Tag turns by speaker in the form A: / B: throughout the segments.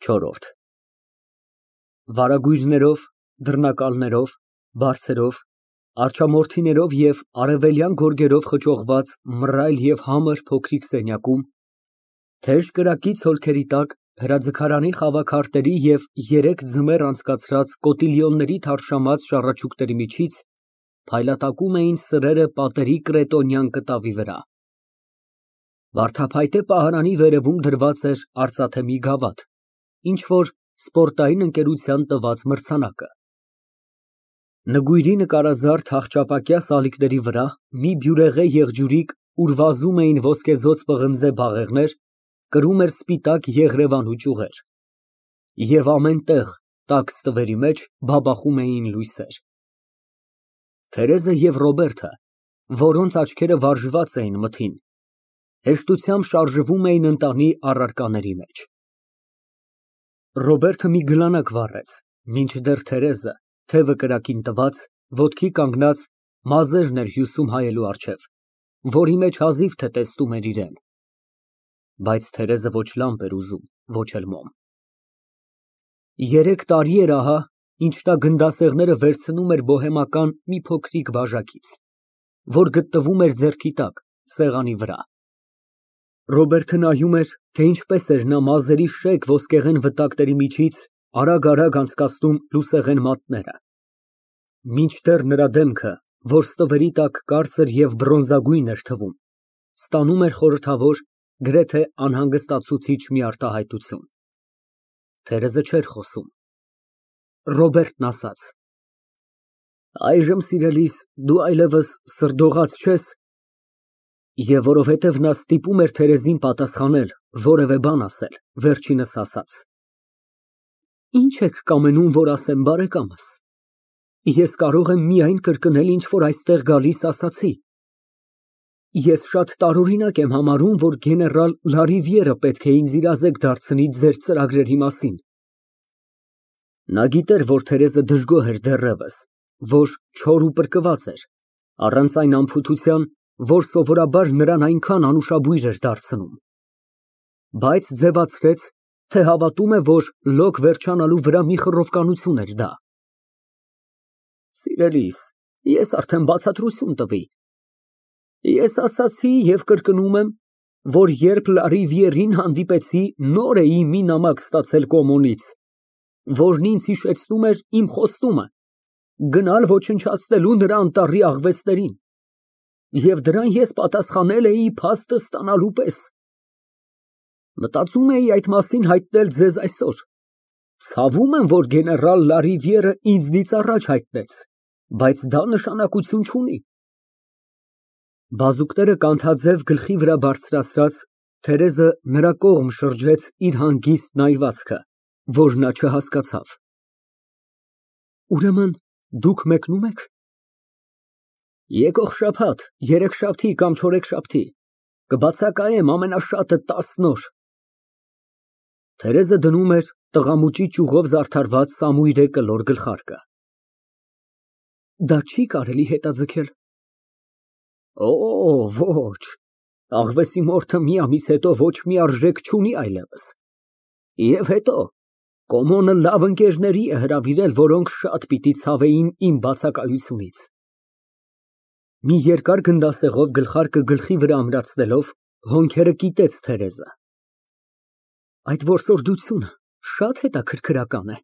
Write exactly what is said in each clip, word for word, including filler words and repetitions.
A: Չորրորդ Վարագույրներով, դռնակալներով, բարձերով, արջամորթիներով և արևելյան գորգերով խճողված մռայլ և համր փոքրիկ սենյակում, թեժ կրակի ցոլքերի տակ, հրաձգարանի խավաքարտերի և երեք ձմեռ անցկացրած կոտիլյոնների թարշամած շառաչուկների միջից փայլատակում էին սրերը պատերի կրետոնյան կտավի վրա։ Վարդափայտե պահարանի վերևում դրված էր արծաթե մի գավաթ, ինչ֊որ սպորտային ընկերության տված մրցանակը։ Նգույրի նկարազարդ հախճապակյա սալիկների վրա մի բյուրեղե եղջյուրիկ, ուր վազում էին ոսկեզօծ պղնձե բաղեղներ, կրում էր սպիտակ եղրևանու ճյուղեր։ Եվ ամեն տեղ, տաք ստվերի մեջ, բաբախում էին լույսեր։ Թերեզը և Ռոբերտը, որոնց աչքերը վարժված էին մթին, հեշտությամբ շարժվում էին ընտանի առարկաների մեջ։ Ռոբերտը մի գլանակ վառեց, մինչդեռ Թերեզը, թևը կրակին տված, ոտքի կանգնած, մազերն էր հյուսում հայելու առջև, որի մեջ հազիվ թե տեսնում էր իրան։ Բայց Թերեզը ոչ լամպ էր ուզում, ոչ էլ մոմ։ Երեք տարի էր ահա, ինչ նա գնդասեղները վերցնում էր բոհեմական մի փոքրիկ բաժակից, որ գտնվում էր ձեռքի տակ, սեղանի վրա։ Ռոբերտը նայում էր, թե ինչպես էր նա մազերի շեկ ոսկեղեն վտակների միջից արագ֊արագ անցկացնում լուսեղեն մատները, մինչդեռ նրա դեմքը, որ ստվերի տակ կարծր և բրոնզագույն էր թվում, ստանում էր խորհրդավոր, գրեթե անհանգստացուցիչ մի արտահայտություն։ Թերեզը չէր խոսում։ Ռոբերտն ասաց. Այժմ, սիրելիս, դու այլևս սրդողաց չես։ Եվ որովհետև նա ստիպում էր Թերեզին պատասխանել, որևէ բան ասել, վերջինս ասաց. Ինչ եք կամենում, որ ասեմ, բարեկամս։ Ես կարող եմ միայն կրկնել, ինչ որ այստեղ գալիս ասացի։ Ես շատ տարօրինակ եմ համարում, որ գեներալ Լարիվիերը պետք է ինձ իրազեկ դարձնի ձեր ծրագրերի մասին։ Նա գիտեր, որ Թերեզը դժգոհ էր դեռևս, որ չոր ու պրկված էր, առանց այն անփութության, որ սովորաբար նրան այնքան անուշաբույր էր դարձնում, բայց ձևացրեց, թե հավատում է, որ լոկ վերջանալու վրա մի խռովկանություն էր դա։ Սիրելիս, ես արդեն բացատրություն տվի։ Ես ասացի և կրկնում եմ, որ երբ Լարիվիերին հանդիպեցի, նոր էի մի նամակ ստացել Կոմոնից, որն ինձ հիշեցնում էր իմ խոստումը գնալ ոչնչացնելու նրա անտառի աղվեսներին, և դրան ես պատասխանել էի փաստը ստանալու պես։ Մտածում էի այդ մասին հայտնել ձեզ այսօր։ Ցավում եմ, որ գեներալ Լարիվիերը ինձնից առաջ հայտնեց, բայց դա նշանակություն չունի։ Բազուկները կանթաձև գլխի վրա բարձրացրած, Թերեզը նրա կողմ շրջեց իր հանգիստ նայվածքը, որ նա չհասկացավ։ Ուրեմն դուք մեկնու՞մ եք։ Եկող շաբաթ, երեքշաբթի կամ չորեքշաբթի, կբացակայեմ ամենաշատը տասն օր։ Թերեզը դնում էր տղամուճի ճյուղով զարդարված սամույրե կլոր գլխարկը։ Դա չի կարելի հետաձգել։ Օ, ոչ, աղվեսի մորթը մի ամիս հետո ոչ մի արժեք չունի այլևս։ Եվ հետո, Կոմոնը լավ ընկերների է հրավիրել, որոնք շատ պիտի ցավեին իմ բացակայությունից։ Մի երկար գնդասեղով գլխարկը գլխի վրա ամրացնելով, հոնքերը կիտեց Թերեզը։ Այդ որսորդությունը շատ հետաքրքրական է։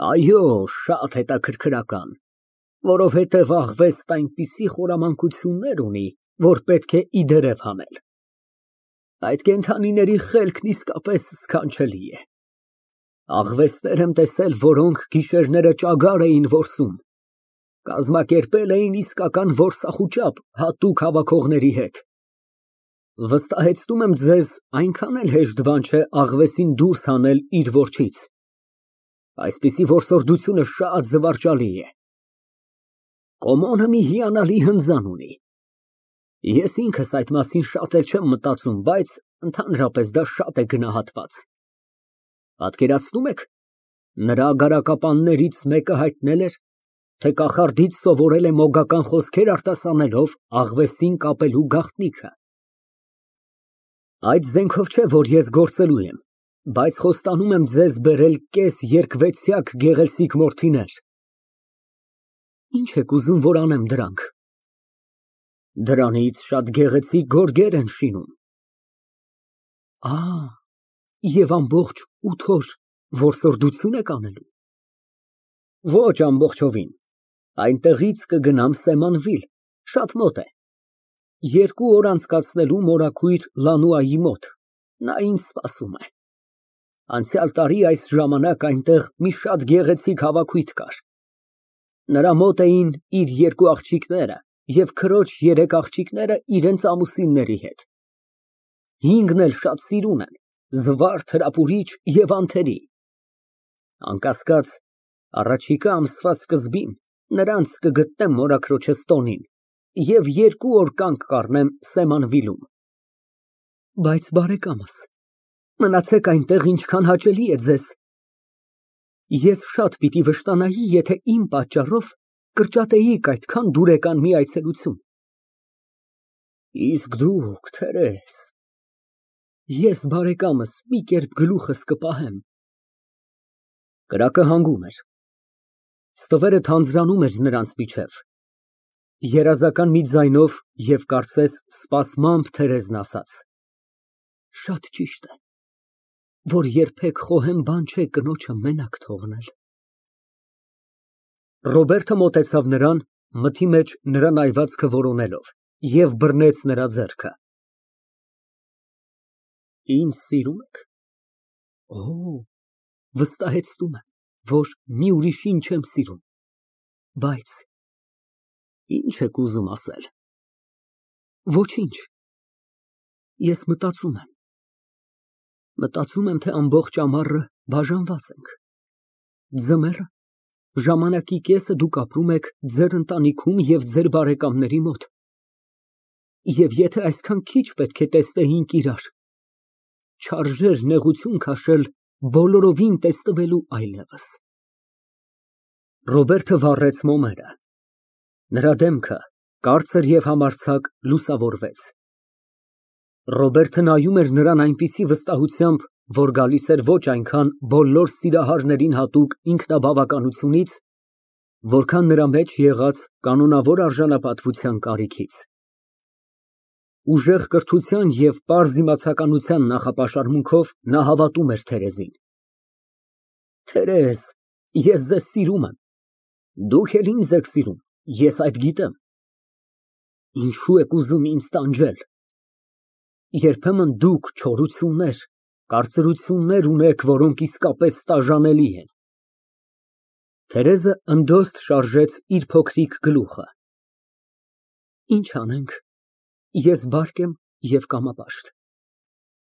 A: Այո, շատ հետաքրքրական, որովհետև աղվեստ այնպիսի խորամանկություններ ունի, որ պետք է իդերև հանել։ Այդ կենդանիների խելքն իսկապես սքանչելի է։ Աղվեսներ եմ տեսել, որոնք գիշերները ճագար էին որսում, կազմակերպել էին իսկական որսախուճապ հատուկ հավաքողների հետ։ Վստահեցնում եմ ձեզ, այնքան էլ հեշտ բան չէ աղվեսին դուրս հանել իր որջից։ Այսպիսի որսորդությունը շատ զվարճալի է։ Կոմոնը մի հիանալի հնձան ունի։ Ես ինքս այդ մասին շատ էլ չեմ մտածում, բայց ընդհանրապես դա շատ է գնահատված։ Պատկերացնու՞մ եք, նրա գարակապաններից մեկը հայտնել էր, թե կախարդից սովորել է մոգական խոսքեր արտասանելով աղվեսին կապելու գաղտնիքը։ Այդ զենքով չէ, որ ես գործելու եմ, Բայց խոստանում եմ ձեզ բերել կես երկվեցյակ գեղեցիկ մորթիներ։ Ինչ եք ուզում, որ անեմ դրանք։ Դրանից շատ գեղեցիկ գորգեր են շինում։ Ա, և ամբողջ ութ օր որսորդություն եք անելու։ Ոչ ամբողջովին, այնտեղից կգնամ Սեմանվիլ, շատ մոտ է։ Երկու օր անցկացնելու մորաքույր Լանուայի մոտ, նա ինձ սպասում է։ Անցյալ տարի այս ժամանակ այնտեղ մի շատ գեղեցիկ հավաքույթ կար։ Նրա մոտ էին իր երկու աղջիկները և քրոջ երեք աղջիկները իրենց ամուսինների հետ։ Հինգն էլ շատ սիրուն են, զվարթ, հրապուրիչ և անթերի։ Անկասկած, առաջիկա ամսվա սկզբին նրանց կգտնեմ մորաքրոջս տոնին և երկու օր կանգ կառնեմ Սեմանվիլում։ Բայց բարեկամս, մնացեք այնտեղ, ինչքան հաճելի է ձեզ։ Ես շատ պիտի վշտանայի, եթե իմ պատճառով կրճատեիք այդքան դուրեկան մի այցելություն։ Իսկ դուք, Թերեզ։ Ես, բարեկամս, մի կերպ գլուխս կպահեմ։ Կրակը հանգում էր։ Ստվերը թանձրանում էր նրանց միջև։ Երազական մի ձայնով և կարծես սպասմամբ Թերեզն ասաց. Շատ ճիշտ է, որ երբեք խոհեմ բան չէ կնոջը մենակ թողնել։ Ռոբերտը մոտեցավ նրան, մթի մեջ նրա նայվածքը որոնելով, և բռնեց նրա ձեռքը։ Ինձ սիրո՞ւմ եք։ Օ, վստահեցնում եմ, որ մի ուրիշին չեմ սիրում, բայց ի՞նչ եք ուզում ասել։ Ոչինչ, ես մտածում եմ։ Մտածում եմ, թե ամբողջ ամառը բաժանված ենք։ Ձմեռը, ժամանակի կեսը դուք ապրում եք ձեր ընտանիքում և ձեր բարեկամների մոտ։ Եվ եթե այսքան քիչ պետք է տեսնեինք իրար, չարժեր նեղություն քաշել բոլորովին տեսնվելու այլևս։ Ռոբերտը վառեց մոմերը։ Նրա դեմքը, կարծր և համարձակ, լուսավորվեց։ Ռոբերտը նայում էր նրան այնպիսի վստահությամբ, որ գալիս էր ոչ այնքան բոլոր սիրահարներին հատուկ ինքնաբավականությունից, որքան նրա մեջ եղած կանոնավոր արժանապատվության կարիքից։ Ուժեղ կրթության և պարզ իմացականության նախապաշարմունքով նա հավատում էր Թերեզին։ Թերեզ, ես ձեզ սիրում եմ, դուք էլ ինձ եք սիրում, ես այդ գիտեմ։ Ինչո՞ւ եք ուզում ինձ տանջել։ Երբեմն դուք չորություններ, կարծրություններ ունեք, որոնք իսկապես տաժանելի են։ Թերեզը ընդոստ շարժեց իր փոքրիկ գլուխը։ Ինչ անենք, ես բարդ եմ և կամապաշտ։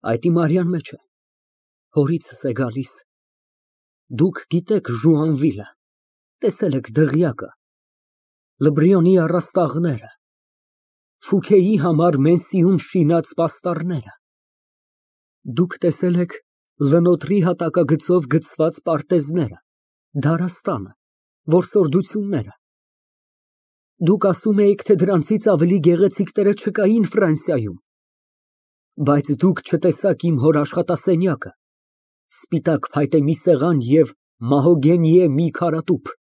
A: Այդ իմ արյան մեջ է, հորիցս է գալիս։ Դուք գիտեք Ժուանվիլը, տեսել եք դղյակը, Լբրիոնի առաստաղները, Ֆուքեի համար Մենսիում շինած պաստառները։ Դուք տեսել եք Լնոտրի հատակագծով գծված պարտեզները, դարաստանը, որսորդությունները։ Դուք ասում էիք, թե դրանցից ավելի գեղեցիկները չկային Ֆրանսիայում, բայց դուք չտեսաք իմ հոր աշխատասենյակը, սպիտակ փայտե մի սեղան և մահոգենիե մի քարատուփ։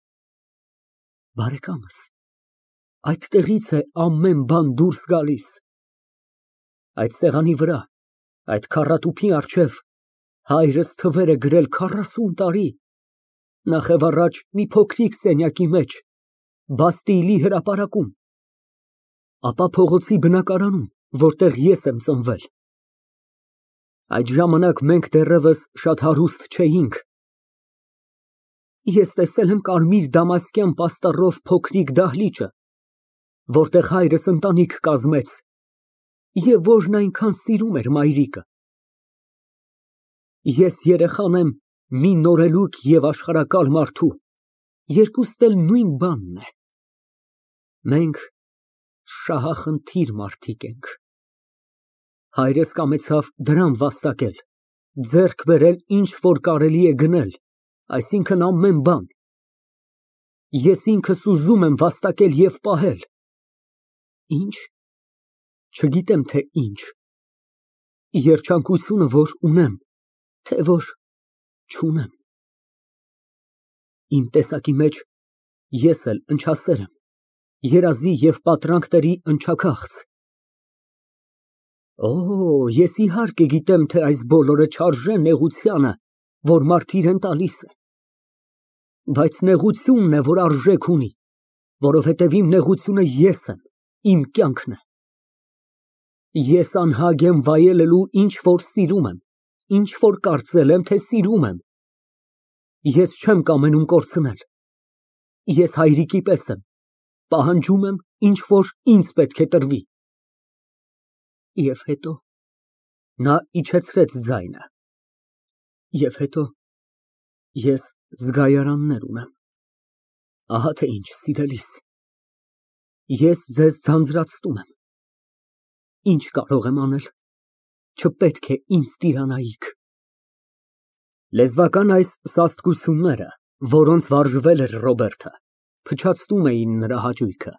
A: Բարեկամս, այդտեղից է ամեն բան դուրս գալիս։ Այդ սեղանի վրա, այդ քառատուփի առջև հայրս թվեր է գրել քառասուն տարի, նախևառաջ մի փոքրիկ սենյակի մեջ, Բաստիլի հրապարակում, ապա փողոցի բնակարանում, որտեղ ես եմ ծնվել։ Այդ ժամանակ մենք դեռևս շատ հարուստ չէինք։ Ես տեսել եմ կարմիր դամասկյան պաստառով փոքրիկ դահլիճը, որտեղ հայրս ընտանիք կազմեց և որն այնքան սիրում էր մայրիկը։ Ես երեխան եմ մի նորելուկ և աշխարհակալ մարդու, երկուստ էլ նույն բանն է։ Մենք շահախնդիր մարդիկ ենք։ Հայրս կամեցավ դրամ վաստակել, ձեռք բերել ինչ որ կարելի է գնել, այսինքն ամեն բան։ Ես ինքս ուզում եմ վաստակել և պահել։ Ինչ, չգիտեմ, թե ինչ։ Երջանկությունը, որ ունեմ, թե որ չունեմ։ Իմ տեսակի մեջ ես էլ ընչասեր եմ, երազի և պատրանքների ընչաքաղց։ Օ, ես իհարկե գիտեմ, թե այս բոլորը չարժե նեղությանը, որ մարդ իրան տալիս է, բայց նեղությունն է, որ արժեք ունի, որովհետև իմ նեղությունը ես եմ, իմ կյանքն է։ Ես անհագ եմ վայելելու ինչ որ սիրում եմ, ինչ որ կարծել եմ, թե սիրում եմ։ Ես չեմ կամենում կորցնել։ Ես հայրիկի պես եմ, պահանջում եմ ինչ որ ինձ պետք է տրվի։ Եվ հետո նա իջեցրեց ձայնը։ Եվ հետո ես զգայարաններ ունեմ։ Ահա թե ինչ, սիրելիս, ես ձեզ ձանձրացնում եմ։ Ինչ կարող եմ անել, չպետք է ինձ տիրանայիք։ Լեզվական այս սաստկությունները, որոնց վարժվել էր Ռոբերտը, փչացնում էին նրա հաճույքը։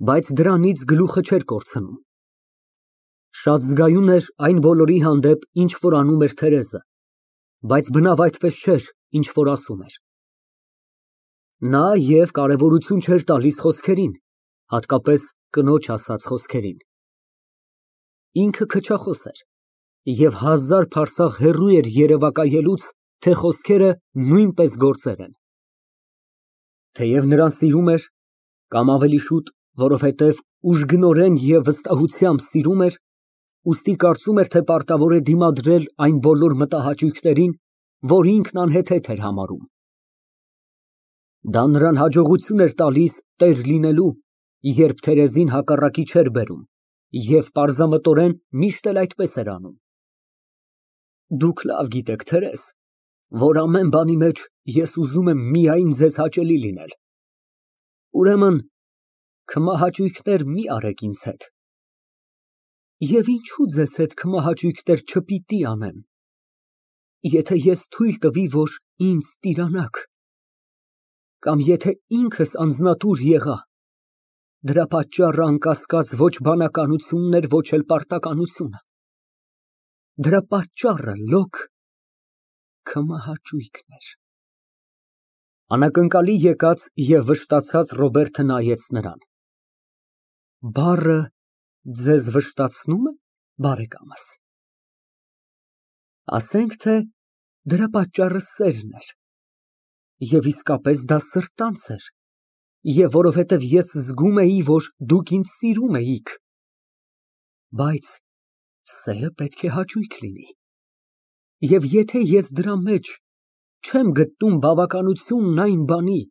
A: Բայց դրանից գլուխը չէր կորցնում։ Շատ զգայուն էր այն բոլորի հանդեպ, ինչ որ անում էր Թերեզը, բայց բնավ այդպես չէր, ինչ որ ասում էր։ Նա և կարևորություն չէր տալիս խոսքերին, հատկապես կնոջ ասած խոսքերին։ Ինքը քչախոս էր և հազար փարսաղ հեռու էր երևակայելուց, թե խոսքերը նույնպես գործեր են։ Թեև նրան սիրում էր, կամ ավելի շուտ, որովհետև ուժգնորեն և վստահությամբ սիրում էր, ուստի կարծում էր, թե պարտավոր է դիմադրել այն բոլոր մտահաճույքներին, որ ինքն անհեթեթ էր համարում։ Դա նրան հաջողություն էր տալիս տեր լինելու, երբ Թերեզին հակառակի չէր բերում, և պարզամտորեն միշտ էլ այդպես էր անում։ Դուք լավ գիտեք, Թերեզ, որ ամեն բանի մեջ ես ուզում եմ միայն ձեզ հաճելի լինել։ Ուրեմն քմահաճույքներ մի արեք ինձ հետ։ Եվ ինչու ձեզ հետ քմահաճույքներ չպիտի անեմ, եթե ես թույլ տվի, որ ինձ տիրանաք, կամ եթե ինքս անձնատուր եղա, դրա պատճառը անկասկած ոչ բանականությունն էր, ոչ էլ պարտականությունը։ Դրա պատճառը լոկ քմահաճույքն էր։ Անակնկալի եկած և վշտացած Ռոբերտը նայեց նրան։ Բառը ձեզ վշտացնո՞ւմ է, բարեկամս։ Ասենք, թե դրա պատճառը սերն էր, և իսկապես դա սրտանց էր, և որովհետև ես զգում էի, որ դուք ինձ սիրում էիք, բայց սերը պետք է հաճույք լինի, և եթե ես դրա մեջ չեմ գտնում բավականությունն այն բանի,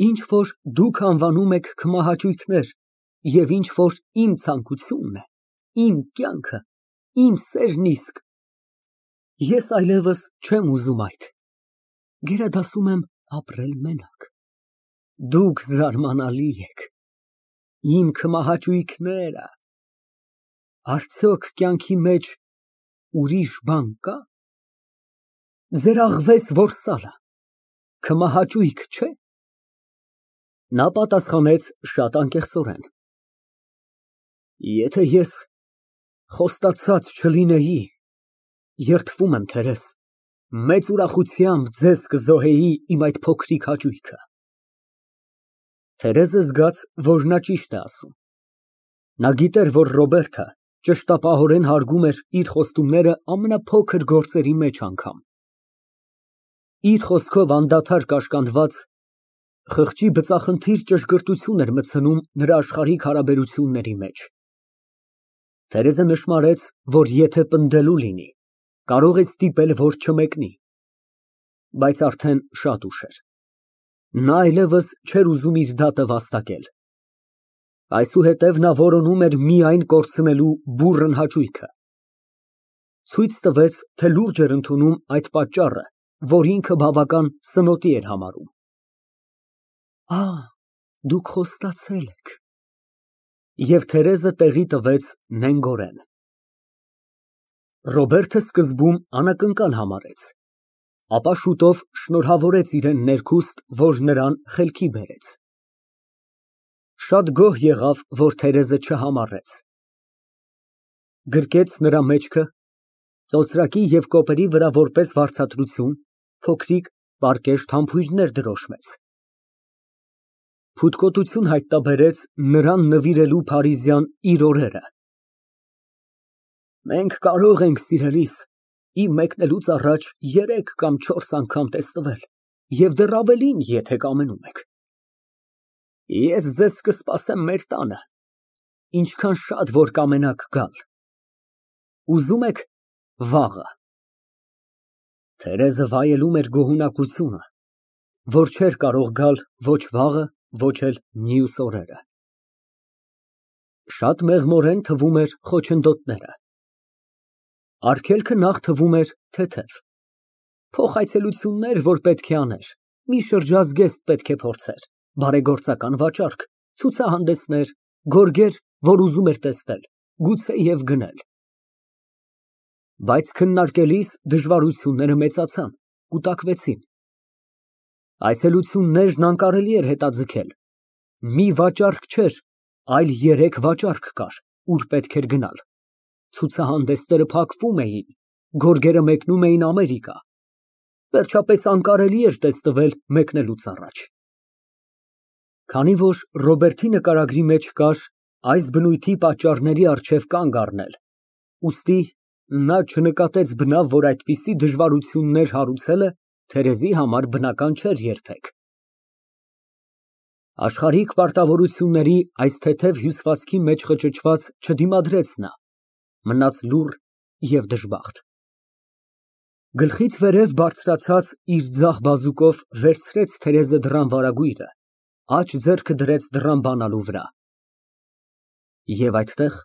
A: ինչ որ դուք անվանում եք քմահաճույքներ, և ինչ որ իմ ցանկությունն է, իմ կյանքը, իմ սերն իսկ, ես այլևս չեմ ուզում այդ, գերադասում եմ ապրել մենակ։ Դուք զարմանալի եք, իմ քմահաճույքները, արդյոք կյանքի մեջ ուրիշ բան կա։ Ձեր աղվես որսալը քմահաճույք չէ։ Նա պատասխանեց շատ անկեղծորեն. Եթե ես խոստացած չլինեի, երդվում եմ, Թերեզ, մեծ ուրախությամբ ձեզ կզոհեի իմ այդ փոքրիկ հաճույքը։ Թերեզը զգաց, որ նա ճիշտ է ասում։ Նա գիտեր, որ Ռոբերտը ճշտապահորեն հարգում էր իր խոստումները ամենափոքր գործերի մեջ անգամ։ Իր խոսքով անդադար կաշկանդված, խղճի բծախնդիր ճշգրտություն էր մտցնում նրա աշխարհիկ հարաբերությունների մեջ։ Թերեզը նշմարեց, որ եթե պնդելու լինի, կարող է ստիպել, որ չմեկնի, բայց արդեն շատ ուշ էր։ Նա այլևս չէր ուզում իր դատը վաստակել։ Այսուհետև նա որոնում էր միայն կորցնելու բուռն հաճույքը։ Ցույց տվեց, թե լուրջ էր ընդունում այդ պատճառը, որ ինքը բավական սնոտի էր համարում։ Ա, դուք խոստացել եք։ Եվ Թերեզը տեղի տվեց նենգորեն։ Ռոբերտը սկզբում անակնկալ համարեց, ապա շուտով շնորհավորեց իրան ներքուստ, որ նրան խելքի բերեց։ Շատ գոհ եղավ, որ Թերեզը չհամառեց։ Գրկեց նրա մեջքը, Ծոծրակի և կոպերի վրա որպես վարձատրություն փոքրիկ պարկեշտ համբույրներ դրոշմեց։ Փութկոտություն հայտնաբերեց նրան նվիրելու փարիզյան իր օրերը։ Մենք կարող ենք, սիրելիս, իմ մեկնելուց առաջ երեք կամ չորս անգամ տեսնվել և դեռ ավելին, եթե կամենում եք։ Ես ձեզ կսպասեմ մեր տանը, ինչքան շատ որ կամենաք գալ։ Ուզում եք վաղը։ Թերեզը վայելում էր գոհունակությունը, որ չէր կարող գալ ոչ վաղը, ոչ էլ մյուս օրերը։ Շատ մեղմորեն թվում էր խոչընդոտները։ Արգելքը նախ թվում էր թեթև։ Փոխայցելություններ, որ պետք է աներ, մի շրջազգեստ պետք է փորձեր, բարեգործական վաճառք, ցուցահանդեսներ, գորգեր, որ ուզում էր տեսնել, գուցե և գնել։ Բայց քննարկելիս դժվարությունները մեծացան, կուտակվեցին։ Այցելություններն անկարելի էր հետաձգել։ Մի վաճառք չէր, այլ երեք վաճառք կար, ուր պետք էր գնալ։ Ցուցահանդեսները փակվում էին, գորգերը մեկնում էին Ամերիկա։ Վերջապես անկարելի էր տեսնվել մեկնելուց առաջ։ Քանի որ Ռոբերտի նկարագրի մեջ կար այս բնույթի պատճառների առջև կանգ առնել, ուստի նա չնկատեց բնավ, որ այդպիսի դժվարություններ հարուցելը Թերեզի համար բնական չէր երբեք։ Աշխարհիկ պարտավորությունների այս թեթև հյուսվածքի մեջ խճճված չդիմադրեց նա, մնաց լուռ և դժբախտ։ Գլխից վերև բարձրացած իր ձախ բազուկով վերցրեց Թերեզը դռան վարագույրը, աջ ձեռքը դրեց դռան բանալու վրա։ Եվ այդտեղ,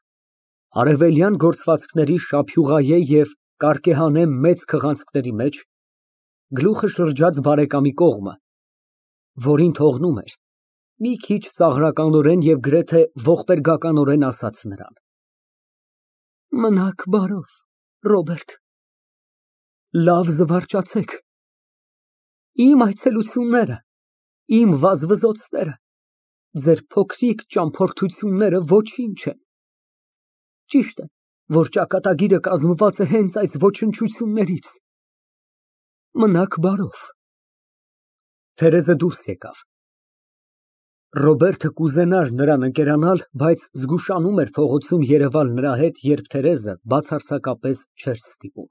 A: արևելյան գործվածքների շափյուղայե և կարկեհանե մեծ քղանցքների մեջ, գլուխը շրջած բարեկամի կողմը, որին թողնում էր, մի քիչ ծաղրականորեն և գրեթե ողբերգականորեն ասաց նրան. Մնաք բարով, Ռոբերտ, լավ զվարճացեք, իմ այցելությունները, իմ վազվզոցները, ձեր փոքրիկ ճամփորդությունները ոչինչ են։ Ճիշտ է, որ ճակատագիրը կազմված է հենց այս ոչնչություններից։ Մնաք բարով։ Թերեզը դուրս եկավ։ Ռոբերտը կուզենար նրան ընկերանալ, բայց զգուշանում էր փողոցում երևալ նրա հետ, երբ Թերեզը բացարձակապես չէր ստիպում։